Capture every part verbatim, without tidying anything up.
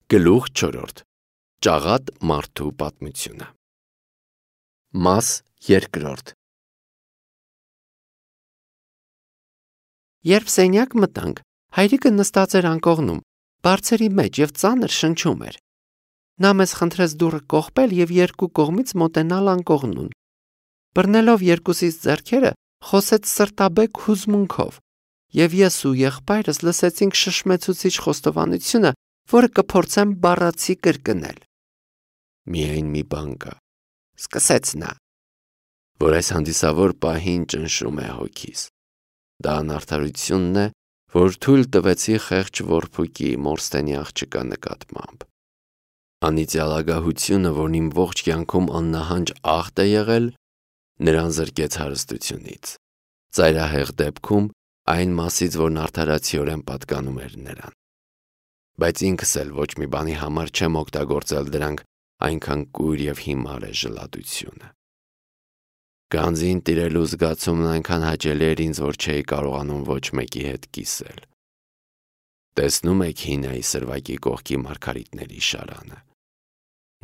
Գլուխ չորրորդ. Ճաղատ մարդու պատմությունը։ Մաս երկրորդ. Երբ սենյակ մտանք, հայրիկը նստած էր անկողնում, բարձերի մեջ և ծանր շնչում էր։ Նա մեզ խնդրեց դուռը կողպել և երկու կողմից մոտենալ անկողնուն։ Բռնելով երկուսիս ձեռքերը, խոսեց սրտաբեկ հուզմունքով, և ես ու եղբայրս լսեցինք շշմեցուցիչ խոստովանությունը, որը կփորձեմ բառացի կրկնել։ Միայն մի բան կա, սկսեց նա, որ այս հանդիսավոր պահին ճնշում է հոգիս։ Դա անարդարությունն է, որ թույլ տվեցի խեղճ որբուկի Մորստենի աղջկա նկատմամբ։ Անիծյալագահությունը, որն իմ ողջ կյանքում աննահանջ աղտ է եղել, նրան զրկեց հարստությունից։ Ծայրահեղ դեպքում այն մասից, որն արդարացիորեն պատկանում էր նրան։ Բայց ինքս էլ ոչ մի բանի համար չեմ օգտագործել դրանք, այնքան կույր և հիմար է ժլատությունը։ Գանձին տիրելու զգացումն այնքան հաճելի էր ինձ, որ չէի կարողանում ոչ մեկի հետ կիսել։ Տեսնում եք Հինայի սրվակի կողքի մարգարիտների շարանը։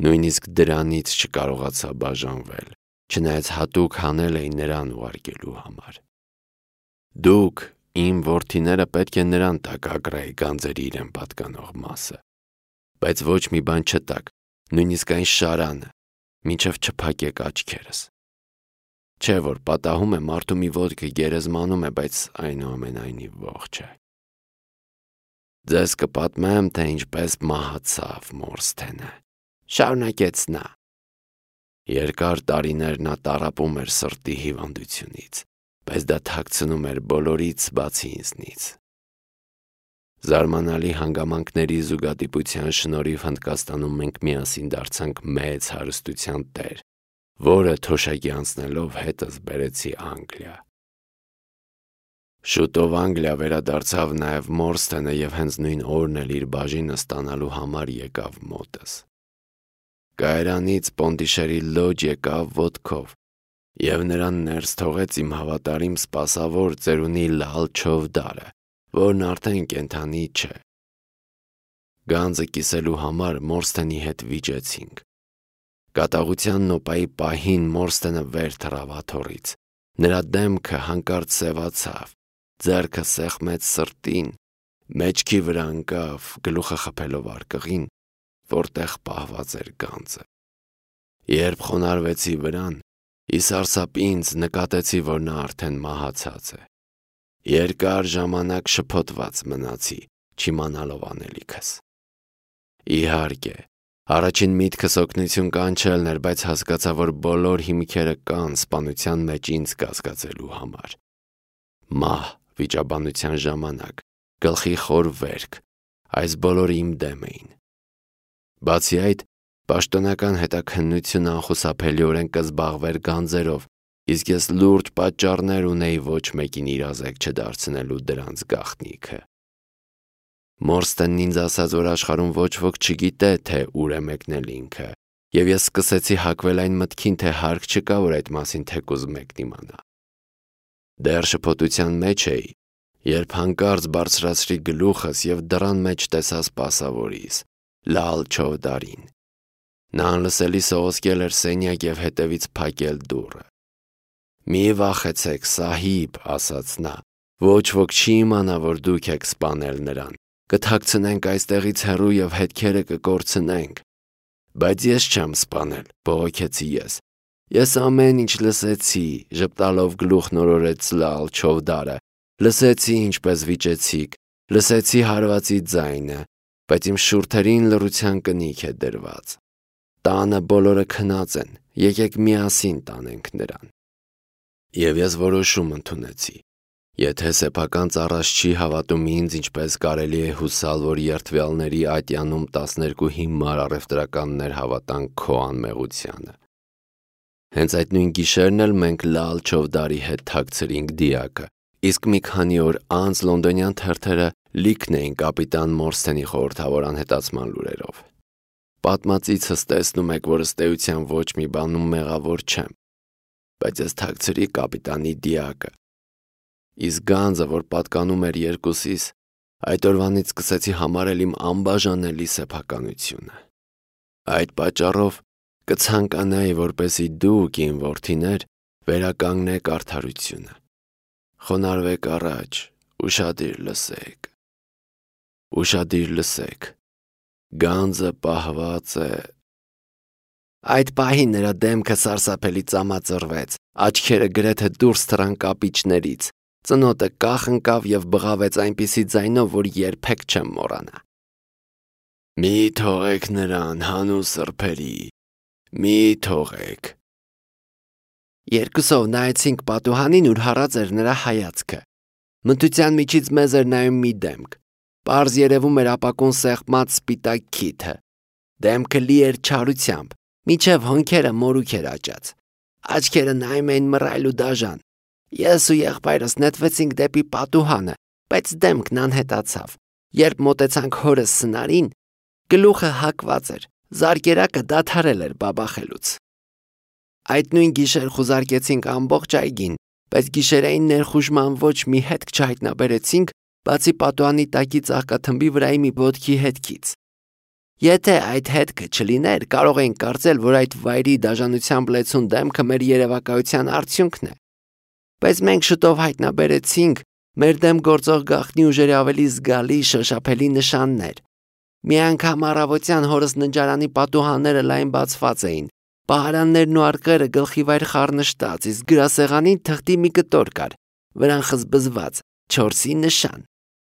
Նույնիսկ դրանից չկարողացա բաժանվել, չնայած հատուկ հանել էի նրան ուղարկելու համար։ Դուք, իմ որդիները, պետք է նրան տաք Ագրայի գանձերի իրեն պատկանող մասը, բայց ոչ մի բան չտաք, նույնիսկ այն շարանը, մինչև չփակեք աչքերս։ Չէ՞ որ պատահում է մարդու մի ոտքը գերեզմանում է, բայց այնուամենայնիվ ողջ է։ Ձեզ կպատմեմ, թե ինչպես մահացավ Մորստենը, շարունակեց նա։ Երկար տարիներ նա տառապում էր սրտի հիվանդությունից, բայց դա թաքցնում էր բոլորից բացի ինձնից։ Զարմանալի հանգամանքների զուգադիպության շնորհիվ Հնդկաստանում մենք միասին դարձանք մեծ հարստության տեր, որը թոշակի անցնելով հետս բերեցի Անգլիա։ Շուտով Անգլիա վերադարձավ նաև Մորստենը և հենց նույն օրն էլ իր բաժինը ստանալու համար եկավ մոտս։ Կայարանից Պոնդիշերի լոջ եկավ ոտքով և նրան ներս թողեց իմ հավատարիմ սպասավոր ծերունի Լալ Չովդարը, որն արդեն կենդանի չէ։ Գանձը կիսելու համար Մորստենի հետ վիճեցինք։ Կատաղության նոպայի պահին Մորստենը վեր թռավ աթոռից, նրա դեմքը հանկարծ սևացավ, ձեռքը սեղմեց սրտին, մեջքի վրա ընկավ, գլուխը խփելով արկղին, որտեղ պահված էր գանձը։ Երբ խոնարհվեցի վրան, ի սարսափ ինձ նկատեցի, որ նա արդեն մահացած է։ Երկար ժամանակ շփոթված մնացի, չիմանալով անելիքս։ Իհարկե, առաջին միտքս օգնություն կանչելն էր, բայց հասկացա, որ բոլոր հիմքերը կան սպանության մեջ ինձ կասկածելու համար։ Մահ վիճաբանության ժամանակ, գլխի խոր վերք, այս բոլորը իմ դեմ էին։ Բացի այդ, պաշտոնական հետաքննությունը անխուսափելիորեն կզբաղվեր գանձերով, իսկ ես լուրջ պատճառներ ունեի ոչ մեկին իրազեկ չդարձնելու դրանց գաղտնիքը։ Մորստենն ինձ ասաց, որ աշխարհում ոչ ոք չգիտե, թե ուր է մեկնել ինքը, և ես սկսեցի հակվել այն մտքին, թե հարկ չկա, որ այդ մասին թեկուզ մեկն իմանա։ Դեռ շփոթության մեջ էի, երբ հանկարծ բարձրացրի գլուխս և դռան մեջ տեսա սպասավորիս՝ Լալ Չովդարին։ Նա անլսելի սողոսկել էր սենյակ և հետևից փակել դուռը։ «Մի վախեցեք, Սահիբ», ասաց նա, «ոչ ոք չի իմանա, որ դուք եք սպանել նրան, կթաքցնենք այստեղից հեռու և հետքերը կկորցնենք»։ «Բայց ես չեմ սպանել», բողոքեցի ես։ «Ես ամեն ինչ լսեցի», ժպտալով գլուխն օրորեց Լալ Չովդարը, «լսեցի, ինչպես վիճեցիք, լսեցի հարվածի ձայնը, բայց իմ շուրթերին լռության կնիք է դրված։ Տանը բոլորը քնած են, եկեք միասին տանենք նրան»։ Եվ ես որոշում ընդունեցի։ Եթե սեփական ծառաս չի հավատում ինձ, ինչպես կարելի է հուսալ, որ երդվյալների ատյանում տասներկու հիմար առևտրականներ հավատան քո անմեղությանը։ Հենց այդ նույն գիշերն էլ մենք Լալ Չովդարի հետ թաքցրինք դիակը, իսկ մի քանի օր անց լոնդոնյան թերթերը լիքն էին կապիտան Մորստենի խորհրդավոր անհետացման լուրերով։ Պատմածիցս տեսնում եք, որ ըստ էության ոչ մի բանում մեղավոր չեմ, բայց ես թաքցրի կապիտանի դիակը։ Իսկ գանձը, որ պատկանում էր երկուսիս, Այդ օրվանից սկսեցի համարել իմ անբաժանելի սեփականությունը։ Այդ պատճառով կցանկանայի, որպեսզի դուք, իմ որդիներ, վերականգնեք արդարությունը։ Խոնարհվեք առաջ, ուշադիր լսեք։ Ուշադիր լսեք։ Գանձը պահված է։ Այդ պահին նրա դեմքը սարսափելի ծամածրվեց, աչքերը գրեթե դուրս թռան կապիճներից, ծնոտը կախ ընկավ և բղավեց այնպիսի ձայնով, որ երբեք չեմ մոռանա։ Մի թողեք նրան, հանուն սրբերի, մի թողեք։ Երկուսով նայեցինք պատուհանին, ուր հառած էր նրա հայացքը։ Մթության միջից մեզ էր նայում մի դեմք։ Պարզ երևում էր ապակուն սեղմած սպիտակ քիթը։ Դեմքը լի էր չարությամբ, մինչև հոնքերը մորուք էր աճած։ Աչքերը նայում էին մռայլ ու դաժան։ Ես ու եղբայրս նետվեցինք դեպի պատուհանը, բայց դեմքն անհետացավ։ Երբ մոտեցանք հորս սնարին, գլուխը հակված էր, զարկերակը դադարել էր բաբախելուց։ Այդ նույն գիշեր խուզարկեցինք ամբողջ այգին, բայց գիշերային ներխուժման ոչ մի հետք չհայտնաբերեցինք, բացի պատուհանի տակի ծաղկաթմբի վրայի մի ոտքի հետքից։ Եթե այդ հետքը չլիներ, կարող էինք կարծել, որ այդ վայրի դաժանությամբ լեցուն դեմքը մեր երևակայության արդյունքն է։ Բայց մենք շուտով հայտնաբերեցինք մեր դեմ գործող գաղտնի ուժերի ավելի զգալի շոշափելի նշաններ։ Մի անգամ առավոտյան հորս ննջարանի պատուհանները լայն բացված էին, պահարաններն ու արկղերը գլխիվայր խառնշտած, իսկ գրասեղանին թղթի մի կտոր կար, վրան խզբզված, չորսի նշան։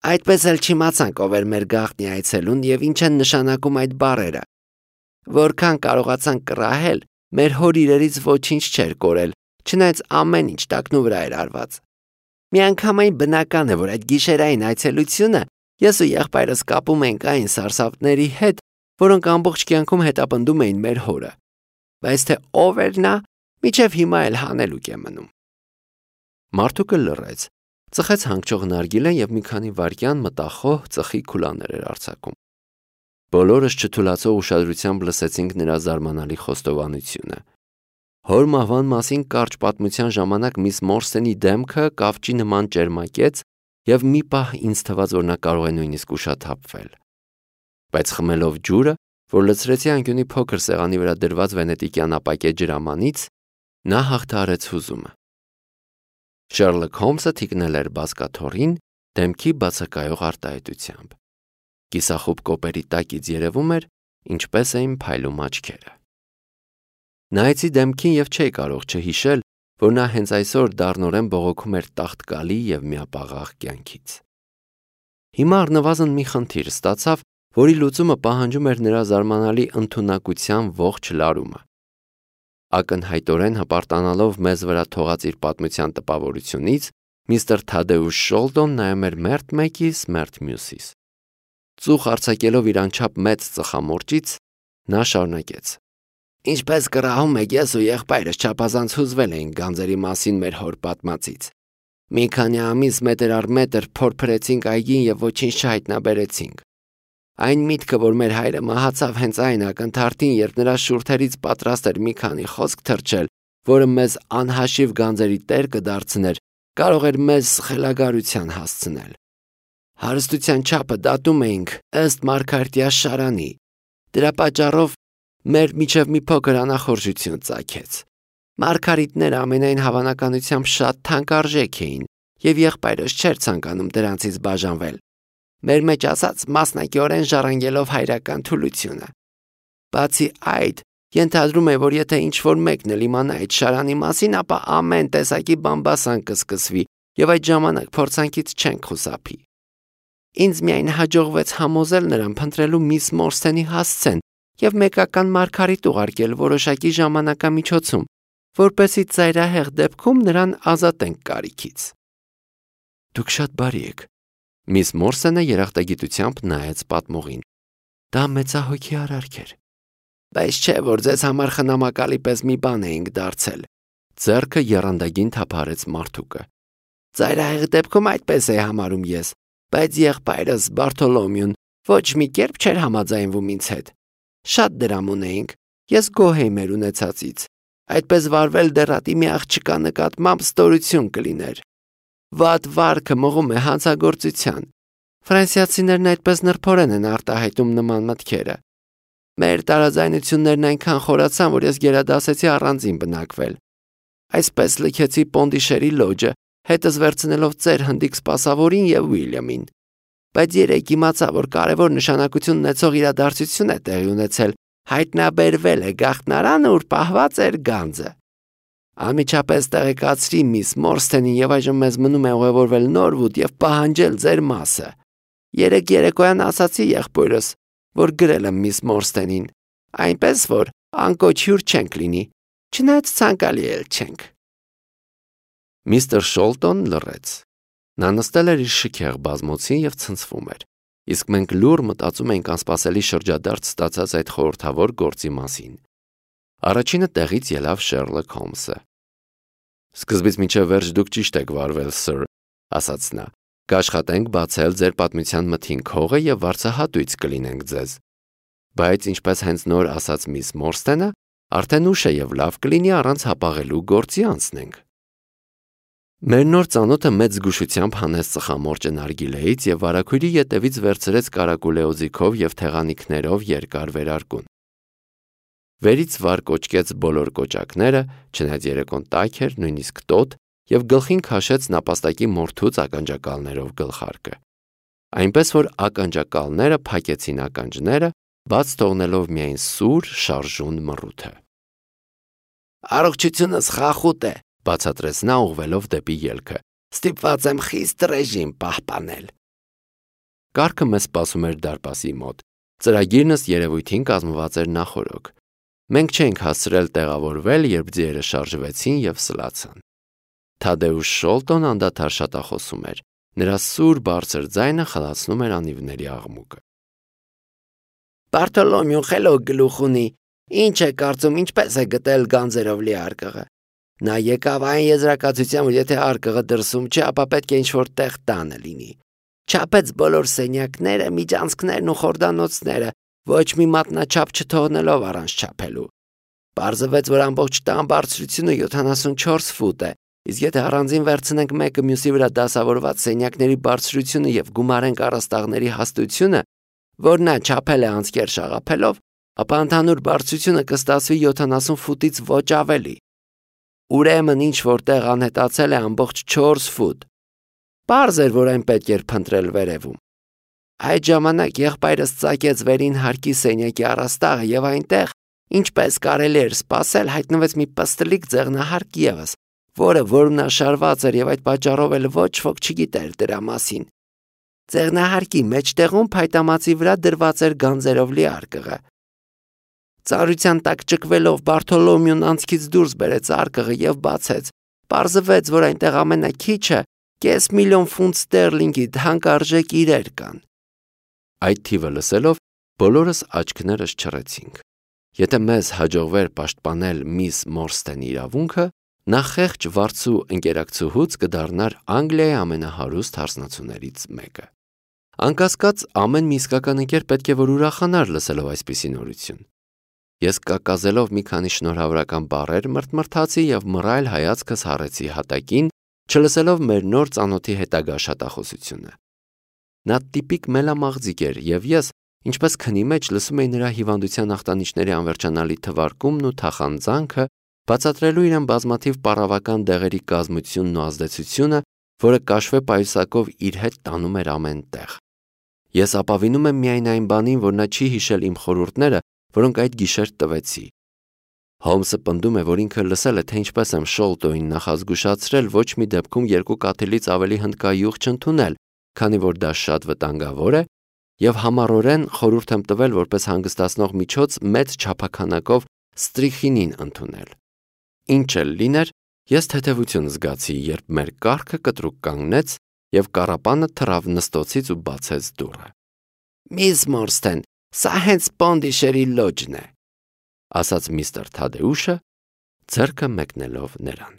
Այդպես էլ չիմացանք ով էր մեր գաղտնի այցելուն և ինչ են նշանակում այդ բառերը։ Որքան կարողացանք կռահել, մեր հոր իրերից ոչինչ չէր կորել, չնայած ամեն ինչ տակնու վրա էր արված։ Միանգամայն բնական է, որ այդ գիշերային այցելությունը ես ու եղբայրս կապում ենք այն սարսափների հետ, որոնք ամբողջ կյանքում հետապնդում էին մեր հորը։ Բայց թե ով էր նա, մինչև հիմա էլ հանելուկ է մնում։ Մարդուկը լռեց, ծխեց հանգչող նարգիլեն և մի քանի վայրկյան մտախոհ ծխի քուլաներ էր արձակում։ Բոլորս չթուլացող ուշադրությամբ լսեցինք նրա զարմանալի խոստովանությունը։ Հոր մահվան մասին կարճ պատմության ժամանակ միս Մորսենի դեմքը կավճի նման ճերմակեց և մի պահ ինձ թվաց, որ նա կարող է նույնիսկ ուշաթափվել։ Բայց խմելով ջուրը, որ լցրեցի անկյունի փոքր սեղանի վրա դրված վենետիկյան ապակե ջրամանից, նա հաղթահարեց հուզումը։ Շերլոք Հոլմսը թիկնել էր բազկաթոռին դեմքի բացակայող արտահայտությամբ։ Կիսախուբ կոպերի տակից երևում էր, ինչպես էին փայլում աչքերը։ Նայեցի դեմքին և չէի կարող չհիշել, որ նա հենց այսօր դառնորեն բողոքում էր տաղտկալի և միապաղաղ կյանքից։ Հիմա առնվազն մի խնդիր ստացավ, որի լուծումը պահանջում էր նրա զարմանալի ընդունակության ողջ լարումը։ Ակնհայտորեն հպարտանալով մեզ վրա թողած իր պատմության տպավորությունից, միստր Թադեուշ Շոլտոն նայում էր մերթ մեկիս, մերթ մյուսիս։ Ծուխ արձակելով իր անչափ մեծ ծխամորճից, նա շարունակեց. Ինչպես կռահում եք, ես ու եղբայրս չափազանց հուզվել էինք գանձերի մասին մեր հոր պատմածից։ Մի քանի ամիս մետր առ մետր փորփրեցինք այգին և ոչինչ չհայտնաբերեցինք։ Այն միտքը, որ մեր հայրը մահացավ հենց այն ակնթարթին, երբ նրա շուրթերից պատրաստ էր մի քանի խոսք թռչել, որը մեզ անհաշիվ գանձերի տեր կդարձներ, կարող էր մեզ խելագարության հասցնել։ Հարստության չափը դատում էինք ըստ Մարգարտյա շարանի։ Դրա պատճառով մեր միջև մի փոքր անախորժություն ծագեց։ Մարգարիտները ամենայն հավանականությամբ շատ թանկարժեք էին, և եղբայրս չէր ցանկանում դրանցից բաժանվել, մեր մեջ ասած մասնակիորեն ժառանգելով հայրական թուլությունը։ Բացի այդ, ենթադրում է, որ եթե ինչ-որ մեկն էլ իմանա այդ շարանի մասին, ապա ամեն տեսակի բամբասան կսկսվի, և այդ ժամանակ փորձանքից չենք խուսափի։ Ինձ միայն հաջողվեց համոզել նրան փնտրելու միս Մորսենի հասցեն և մեկական մարգարիտ ուղարկել որոշակի ժամանակամիջոցում, որպեսզի ծայրահեղ դեպքում նրան ազատենք կարիքից։ Դուք շատ բարի եք։ Միս Մորսենը երախտագիտությամբ նայեց պատմողին։ Դա մեծահոգի արարք էր։ Բայց չէ, որ ձեզ համար խնամակալի պես մի բան էինք դարձել։ Ձեռքը եռանդագին թափահարեց մարդուկը։ Ծայրահեղ դեպքում այդպես է համարում ես, բայց եղբայրս Բարթոլոմեուն ոչ մի կերպ չէր համաձայնվում ինձ հետ։ Շատ դրամ ունեինք, ես գոհ էի մեր ունեցածից։ Այդպես վարվել դեռատի մի աղջկա նկատմամբ ստորություն կլիներ։ Վատ վարքը մղում է հանցագործության։ Ֆրանսիացիներն այդպես նրբորեն են արտահայտում նման մտքերը։ Մեր տարաձայնություններն այնքան խորացան, որ ես գերադասեցի առանձին բնակվել։ Այսպես լքեցի Պոնդիշերի լոջը, հետս վերցնելով ծեր հնդիկ սպասավորին եւ Ուիլյամին։ Բայց երեք իմացա, որ կարևոր նշանակություն ունեցող իրադարձություն է տեղի ունեցել, հայտնաբերվել է գաղտնարանը, ուր պահված էր գանձը։ Անմիջապես տեղեկացրի միս Մորստենին եւ այժմ մեզ մնում է ուղևորվել Նորվուդ եւ պահանջել ձեր մասը։ Երեք երեկոյան ասացի եղբորս, որ գրել եմ միս Մորստենին, այնպես որ անկոչ հյուր չենք լինի, չնայած ցանկալի էլ չենք։ Միստր Շոլտոն լռեց։ Նա նստել էր իր շքեղ բազմոցին եւ ցնցվում էր, իսկ մենք լուռ մտածում էինք անսպասելի շրջադարձ ստացած այդ խորհրդավոր գործի մասին։ Առաջինը տեղից ելավ Շերլոկ Հոլմսը։ Սկզբից մինչև վերջ դուք ճիշտ եք վարվել, սըր, ասաց նա։ Կաշխատենք բացել ձեր պատմության մթին քողը եւ վարձահատույց կլինենք ձեզ։ Բայց ինչպես հենց նոր ասաց միս Մորստենը, արդեն ուշ է եւ լավ կլինի առանց հապաղելու գործի անցնենք։ Մեր նոր ծանոթը մեծ զգուշությամբ հանեց ծխամորճը նարգիլեից եւ վարագույրի ետևից վերցրեց կարակուլեոձիքով եւ թեղանիքներով երկար վերարկուն։ Վերից վար կոճկեց բոլոր կոճակները, չնայած երեկոն տաք էր, նույնիսկ տոտ, եւ գլխին քաշեց նապաստակի մորթուց ականջակալներով գլխարկը։ Այնպես որ ականջակալները փակեցին ականջները, բաց թողնելով միայն սուր շարժուն մռութը։ Առողջությունս խախուտ է, բացատրեց նա ուղղվելով դեպի ելքը։ Ստիպված եմ խիստ ռեժիմ պահպանել։ Կառքը մեզ սպասում էր դարպասի մոտ։ Ծրագիրնս երևույթին կազմված էր նախորոք։ Մենք չէինք հասցրել տեղավորվել, երբ ձիերը շարժվեցին եւ սլացան։ Թադեուշ Շոլտոն անդադար շատախոսում էր։ Նրա սուր բարձր ձայնը խլացնում էր անիվների աղմուկը։ Բարտոլոմեուն խելոք գլուխ ունի։ Ինչ է կարծում, ինչպես է գտել գանձերով լի արկղը։ Նա եկավ այն եզրակացության, որ եթե արկղը դրսում չէ, ապա պետք է ինչ-որ տեղ տանը լինի։ Չափեց բոլոր սենյակները, միջանցքներն ու խորդանոցները, ոչ մի մատնաչափ չթողնելով առանց չափելու։ Պարզվեց, որ ամբողջ տան բարձրությունը յոթանասունչորս ֆուտ է, իսկ եթե առանձին վերցնենք մեկը մյուսի վրա դասավորված սենյակների բարձրությունը եւ գումարենք առաստաղների հաստությունը, որ նա չափել է անցքեր շաղափելով, ապա ընդհանուր բարձրությունը կստացվի յոթանասուն ֆուտից ոչ ավելի։ Ուրեմն ինչ որտեղ անհետացել է ամբողջ չորս ֆուտ։ Պարզ էր, որ այն պետք էր փնտրել վերևում։ Այդ ժամանակ եղբայրս ծակեց վերին հարկի սենյակի առաստաղը եւ այնտեղ, ինչպես կարելի էր սպասել, հայտնվեց մի պստլիկ ձեղնահարկ եւս, որը որմնաշարված էր եւ այդ պատճառով էլ ոչ ոք չգիտեր դրա մասին։ Ձեղնահարկի մեջտեղում փայտամածի վրա դրված էր գանձերով լի արկղը։ Ծառության տակ ճկվելով Բարտոլոմեուն անցքից դուրս բերեց արկղը եւ բացեց։ Պարզվեց, որ այնտեղ ամենաքիչը կես միլիոն ֆունտ ստերլինգի թանկարժեք իրեր կան։ Այդ թիվը լսելով բոլորս աչքներս չռեցինք։ Եթե մեզ հաջողվեր պաշտպանել միս Մորստենի իրավունքը, նա խեղճ վարձու ընկերակցուհուց կդառնար Անգլիայի ամենահարուստ հարսնացուներից մեկը։ Անկասկած, ամեն մի իսկական ընկեր պետք է որ ուրախանար լսելով այսպիսի նորություն։ Ես կակազելով մի քանի շնորհավորական բառեր մրթմրթացի եւ մռայլ հայացքս հառեցի հատակին, չլսելով մեր նոր ծանոթի հետագա շատախոսությունը։ Նա տիպիկ մելամաղձիկ էր եւ ես, ինչպես քնի մեջ լսում էի նրա հիվանդության ախտանիշների անվերջանալի թվարկումն ու թախանձանքը, բացատրելու իրեն բազմաթիվ պարավական դեղերի կազմությունն ու ազդեցությունը, որը կաշվե պայուսակով իր հետ տանում էր ամեն տեղ։ Ես ապավինում եմ միայն այն բանին, որ նա չի հիշել իմ խորհուրդները, որոնք այդ գիշեր տվեցի։ Հոլմսը պնդում է, որ ինքը լսել է, թե ինչպես եմ Շոլտոին նախազգուշացրել ոչ մի դեպքում երկու կաթիլից ավելի հնդկայուղ չընդունել, քանի որ դա շատ վտանգավոր է, եւ համառորեն խորհուրդ եմ տվել որպես հանգստացնող միջոց մեծ չափաքանակով ստրիխինին ընդունել։ Ինչ էլ լիներ, ես թեթևություն զգացի, երբ մեր կառքը կտրուկ կանգնեց եւ կառապանը թռավ նստոցից ու բացեց դուռը։ Միս Մորստեն, սա հենց Պոնդիշերի լոջն է, ասաց միստր Թադեուշը, ձեռքը մեկնելով նրան։